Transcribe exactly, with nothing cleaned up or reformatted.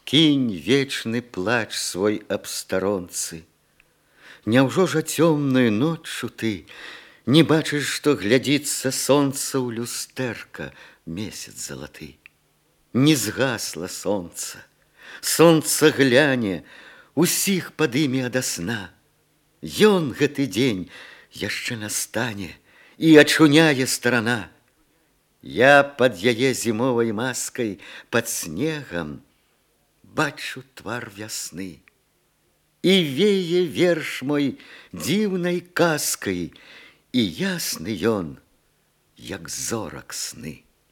Кінь вечны плач свой аб старонцы. Няўжо жа цёмнаю ноччу ты не бачыш, што глядзіцца сонца ў люстэрка, месяц залаты. Не згасла сонца, сонца гляне, усіх падыме ада сна. Ён гэты дзень яшчэ настане і ачуняе старана. Я пад яе зімовай маскай, пад снегам бачу твар вясны. І вее верш мой дзіўнай казкай, і ясны ён, як зорак сны.